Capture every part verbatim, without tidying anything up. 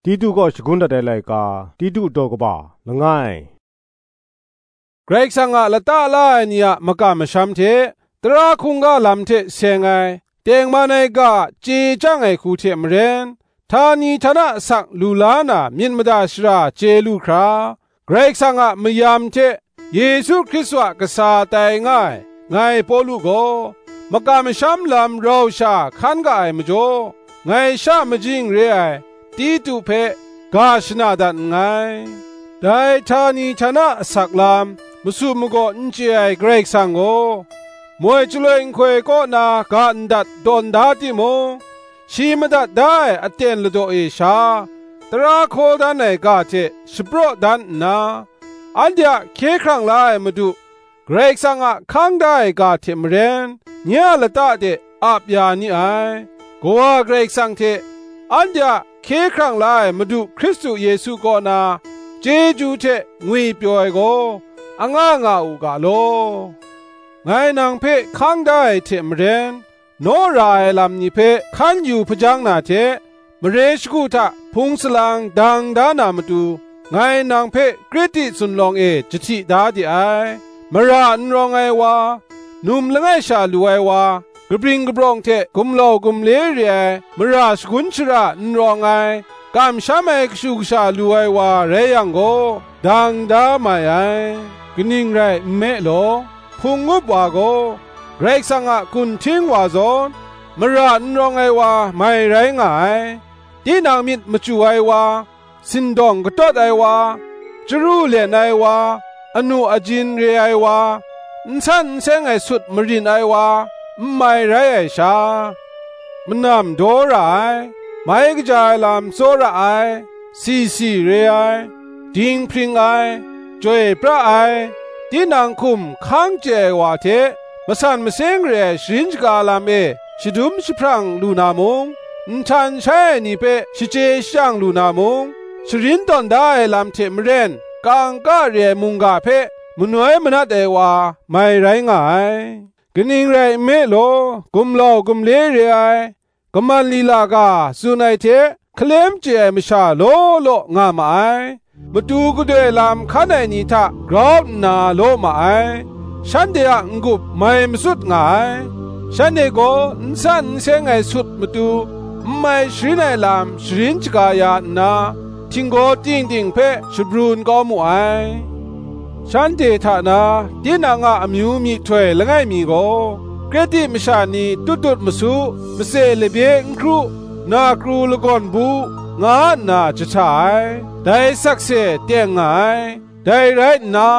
Titu kaw shagun dat ai laika, Titu daw kaba langai. Karai Kasang a lata la ai ni a makam masham hte, tara hkungga lam hte seng ai, tengman ai ga a chye chyang ai hku hte maren, htani htana asak lu la na myit mada shara chye lu hkra, Karai Kasang a mayam hte Yesu Hkristu a kasa tai nga ai, ngai Pawlu gaw, makam masham lam rau sha hkan ga ai majaw, ngai sha majing re ai Titu hpe ga shana dat nngai. Dai htani htana asak lam, masu magaw n chye ai Karai Kasang gaw, moi chyaloi nhtoi kaw na ga ndat tawn da timung, shi madat da ai aten ladaw e sha, tara hkaw dan ai ga hte shapraw dan nna, anhte a hkye hkrang la ai Madu, Karai Kasang a hkang da ai ga hte maren, nye a lata de ap ya ni ai. Kawa Karai Kasang hte anhte a hkye hkrang la ai Madu Hkristu Yesu kaw na chyeju hte ngwipyaw ai gaw, anga nga u ga law. Ngai nang hpe hkang da ai hte maren, naw ra ai lam ni hpe hkan yu hpajang na hte, mare shagu hta hpung salang dang da na matu, ngai nang hpe Kreti zunlawng e jahti da de ai. Mara n rawng ai wa, num langai sha lu ai wa, kabring kabrawng hte gumlau gumle re ai, mara shagun shara n rawng ai, kamsham ai kashu kasha lu ai wa rai yang gaw, dang da mai ai. Kaning rai nme law, hpung up wa gaw, Karai Kasang a gun hting wa zawn, mara n rawng ai wa mai rai nga ai. Tinang myit machyu ai wa, sindawng katawt ai wa, chyaru len ai wa, anu ajin re ai wa, n san n seng ai sut marin ai wa, n mai rai ai sha, manam daw ra ai, mai kaja ai lam tsawra ai, si si re ai, dinghpring ai, chyoi pra ai, tinang hkum hkang chye ai wa hte masan maseng re ai sharin shaga lam e shadum jahprang lu na mung, nhtan shai ai ni hpe shachye shajang lu na mung, sharin tawn da ai lam hte maren kangka re ai mungga hpe manoi manat ai wa mai rai nga ai. Kaning rai nme law, gumlau gumle re ai, kaman lila ga tsun ai hte hkalem chye ai masha law law nga ma ai. Matu gadoi lam hkan ai ni hta grau nna law ma ai. Shanhte a n-gup mai matsut nga ai. Shanhte gaw n san n seng ai sut matu, n mai sharin ai lam sharin shaga ya nna, htinggaw ting ting hpe shabrun kau mu ai. Shanhte hta na tinang a amyu myihtoi langai mi gaw, Kreti masha ni tut tut masu, matse labye n hkru, na kru lagawn bu, nga nna jahta ai, dai sakse teng nga ai. Dai rai nna,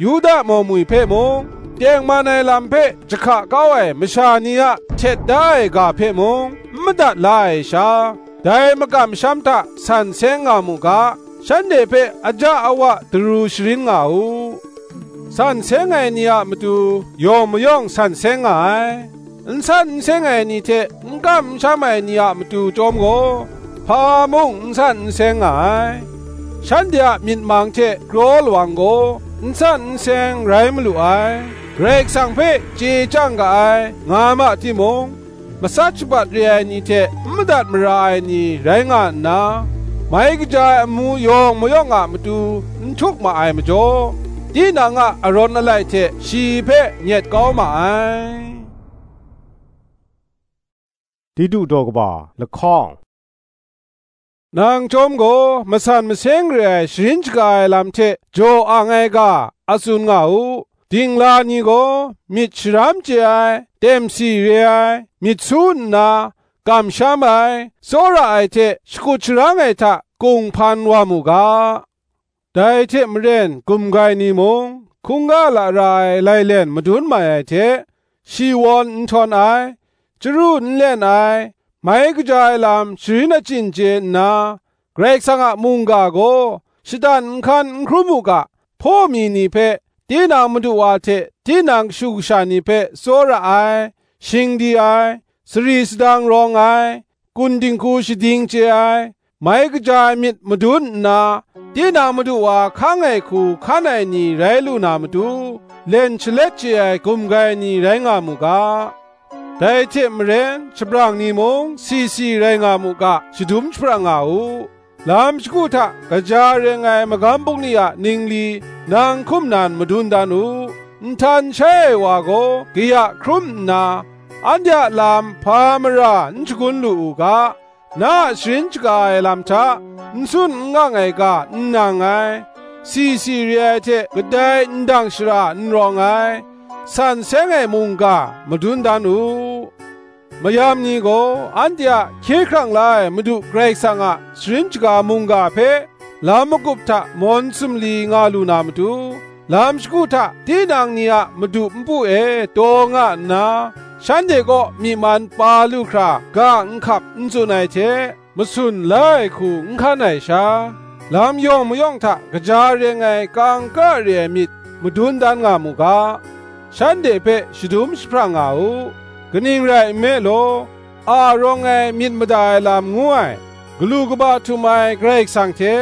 Yuda mawmwi hpe mung, tengman ai lam hpe jahka kau ai masha ni a htet da ai ga hpe mung, n madat la ai sha, dai makam masham hta san seng nga mu ga, shanhte hpe aja awa daru sharin nga u. San seng ai ni a matu yawng mayawng san seng nga ai. N san n seng ai ni hte n kam n sham ai ni a matu chyawm gaw, hpa mung n san n seng nga ai. Shanhte a myit mang hte kraw lawang gaw n san n seng rai malu ai. Karai Kasang hpe chye chyang ga ai, nga ma timung, matsat shabat re ai ni hte n madat mara ai ni rai nga nna, mai kaja ai amu yawng mayawng a matu n htuk ma ai majaw, tinang a arawn alai hte shi hpe nyet kau ma ai. Titu daw kaba lahkawng. Nang chyawm gaw, masan maseng re ai sharin shaga ai lam hte jaw ang ai ga, a tsun nga u. Dingla ni gaw myit sharam chye ai, temsi re ai, myit su nna, kamsham ai, tsawra ai hte shakut sharang ai hta kunghpan wa mu ga. Dai hte maren gumgai ni mung, hkungga lara ai lailen madun mai ai hte, shi wawn n htawn ai, chyaru n len ai, mai kaja ai lam sharin achyin chye nna, Karai Kasang a mungga gaw shadan n hkan n hkrum u ga, hpaw mi ni hpe, tinang madu wa hte tinang kashu kasha ni hpe tsawra ai, shing di ai, sari sadang rawng ai, kun dinghku shading chye ai, mai kaja ai myit madun nna, tinang madu wa hkang ai hku hkan ai ni rai lu na matu, len shalet chye ai gumgai ni rai nga mu ga. Dai hte maren, shabrang ni mung si si rai nga mu ga, shadum jahprang nga u. lam shagu hta kaja reng ai magam bungli a ningli nang hkum nan madun dan u. Nhtan shai ai wa gaw kaya hkrum nna, anhte a lam hpa mara n shagun lu u ga, na a sharin shaga ai lam hta n sun n ngang ai ga n nang ai, si si re ai hte kadai ndang shara n rawng ai, san seng ai mungga madun dan u. Mayam ni gaw anhte a hkye hkrang la ai Madu Karai Kasang a sharin shaga mungga hpe lam magup hta mawn sumli nga lu na matu, lam shagu hta tinang ni a madu npu e taw nga nna, shanhte kaw myi man pa lu hkra ga nhkap n tsun ai hte, masun la ai hku n hkan ai sha, lam yawng mayawng hta kaja reng ai kangka re ai myit madun dan nga mu ga, shanhte hpe shadum jahprang nga u. Kaning rai nme law, a rawng ai myit mada ai lam ngu ai, galu kaba htum ai Karai Kasang hte,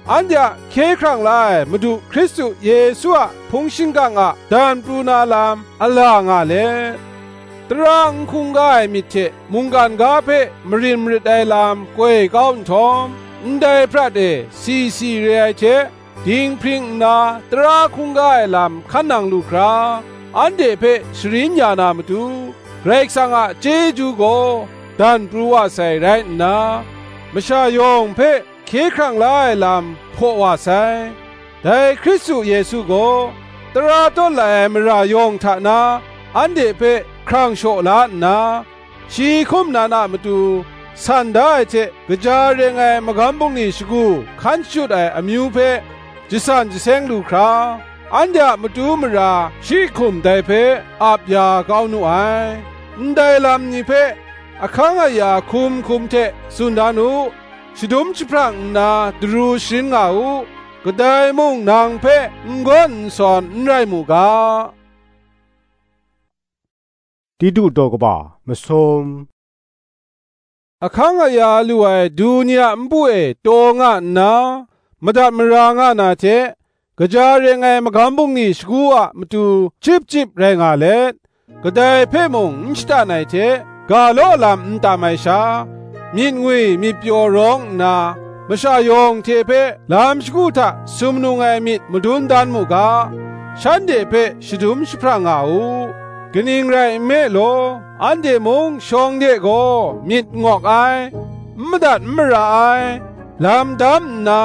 anhte a hkye hkrang la ai Madu Hkristu Yesu a hpung shingkang a dan pru na lam a la nga let, tara n hkungga ai myit hte mungkan ga hpe marin marit ai lam koi kau nhtawm, ndai prat e si si re ai hte, dinghpring nna tara hkungga ai lam hkan nang lu hkra, anhte hpe sharin ya na matu, Karai Kasang a chyeju gaw dan pru wa sai rai nna, masha yawng hpe hkye hkrang la ai lam hpaw wa sai. Dai Hkristu Yesu gaw tara tawt lai ai mara yawng hta na anhte hpe hkrang shaw la nna, shi hkum nan a matu san da ai hte kaja reng ai magam bungli shagu hkan shachut ai amyu hpe jasan jaseng lu hkra, anhte a matu mara shi hkum dai hpe ap ya kau nu ai. Ndai lam ni hpe ahkang aya hkum hkum hte tsun dan u, shadum jahprang nna daru sharin nga u, kadai mung nang hpe n gawn n sawn n rai mu ga. Titu daw kaba masum. Ahkang aya lu ai du ni a npu e taw nga nna, madat mara nga na hte, kaja reng ai magam bungli shagu a matu chyip chyip rai nga let, kadai hpe mung n shatan ai hte, ga law lam n tam ai sha, myit ngwi myit pyaw rawng nna, masha yawng hte hpe lam shagu hta sumnung ai myit madun dan mu ga, shanhte hpe shadum jahprang nga u. Kaning rai nme law, anhte mung shawng de gaw myit ngawk ai, n madat n mara ai, lam dam nna,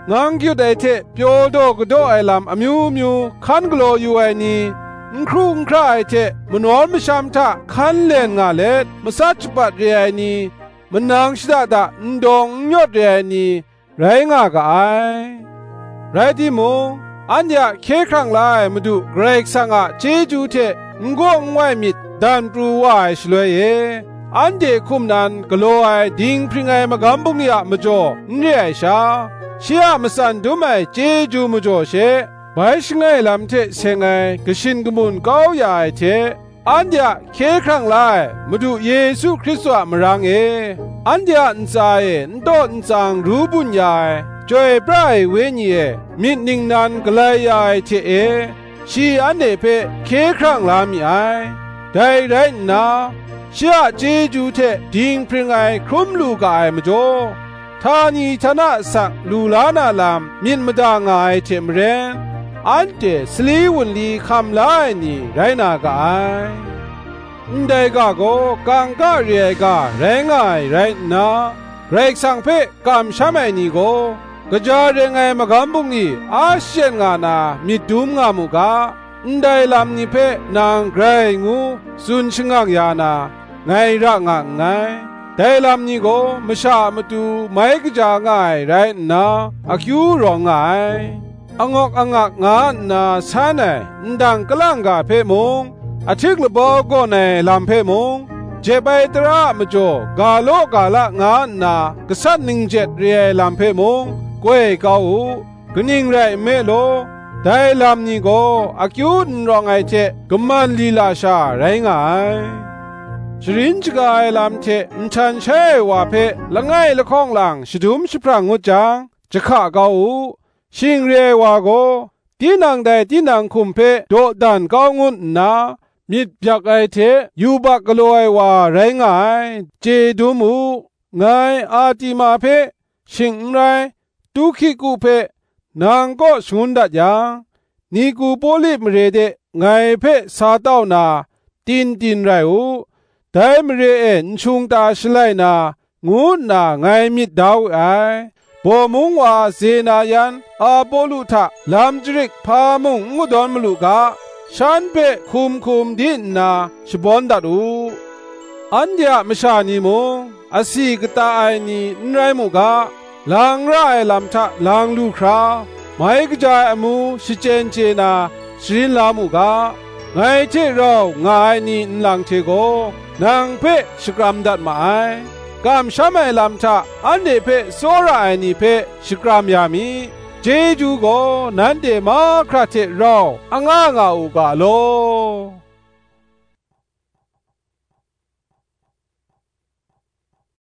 ngang kyut ai hte pyaw daw kadaw ai lam amyu myu hkan galaw yu ai ni, n hkru n hkra ai hte manawn masham hta hkan len nga let, matsat shapat re ai ni, manang shada da n dawng n yawt re ai ni, rai nga ga ai. Rai timung, anhte a hkye hkrang la ai Madu Karai Kasang a chyeju hte n gaw n wai myit dan pru wa ai shaloi e, anhte hkum nan galaw ai dinghpring ai magam bungli a majaw n re ai sha, shi a matsan dum ai chyeju majaw she, bai shangai lam hte seng ai kashin kamun kau ya ai hte, anhte a hkye hkrang la ai Madu Yesu Hkristu a marang e, anhte a ntsa e n taw n tsang ru bun ya ai, chyoi pra ai Wenyi e myit ningnan galai ya ai hte e, shi anhte hpe hkye hkrang la mi ai. Dai rai nna, shi a chyeju hte dinghpring ai hkrum lu ga ai majaw, htani htana asak lu la na lam myit mada nga ai hte maren, anhte sali wunli hkam la ai ni rai na ga ai. Ndai ga gaw kangka re ai ga rai nga ai rai nna, Karai Kasang hpe kamsham ai ni gaw, kaja reng ai magam bungli a shachyen nga na myit dum nga mu ga, ndai lam ni hpe nang grai ngu tsun shangang ya na, ngai ra nga nngai. Dai lam ni gaw masha a matu mai kaja nga ai rai nna, akyu rawng nga ai. Angawk angak nga nna san ai ndang kalang ga hpe mung, ahtik labau gawn ai lam hpe mung, jep ai tara a majaw ga law ga la nga nna gasat ningjet re ai lam hpe mung, koi kau u. Kaning rai nme law, dai lam ni gaw akyu n rawng ai hte kaman lila sha rai nga ai. Sharin shaga ai lam hte nhtan shai ai wa hpe langai lahkawng lang shadum jahprang ngut jang, jahka kau u. Shing re ai wa gaw, tinang dai tinang hkum hpe dawdan kau ngut nna, myit byak ai hte yubak galaw ai wa rai nga ai, chye dum u. Ngai Artima hpe shing n rai, Tuhkiku hpe nang kaw shangun dat yang, Nikopoli mare de ngai hpe sa tau na, tin tin rai u, dai mare e n shung ta shalai na, ngu nna ngai myit da we ai. Baw mung wa Zena yan Apolo hta lam jarit hpa mung n kadawn malu ga, shan hpe hkum hkum di nna shabawn dat u. Anhte a masha ni mung, asi kata ai ni n rai mu ga, lang ra ai lam hta lang lu hkra, mai kaja ai amu shachyen chye na sharin la mu ga, ngai hte rau nga ai ni nlang hte gaw nang hpe shakram dat ma ai. Kamsham ai lam hta anhte hpe tsawra ai ni hpe shakram ya mi. Chyeju gaw nanhte mahkra hte rau anga nga u ga law.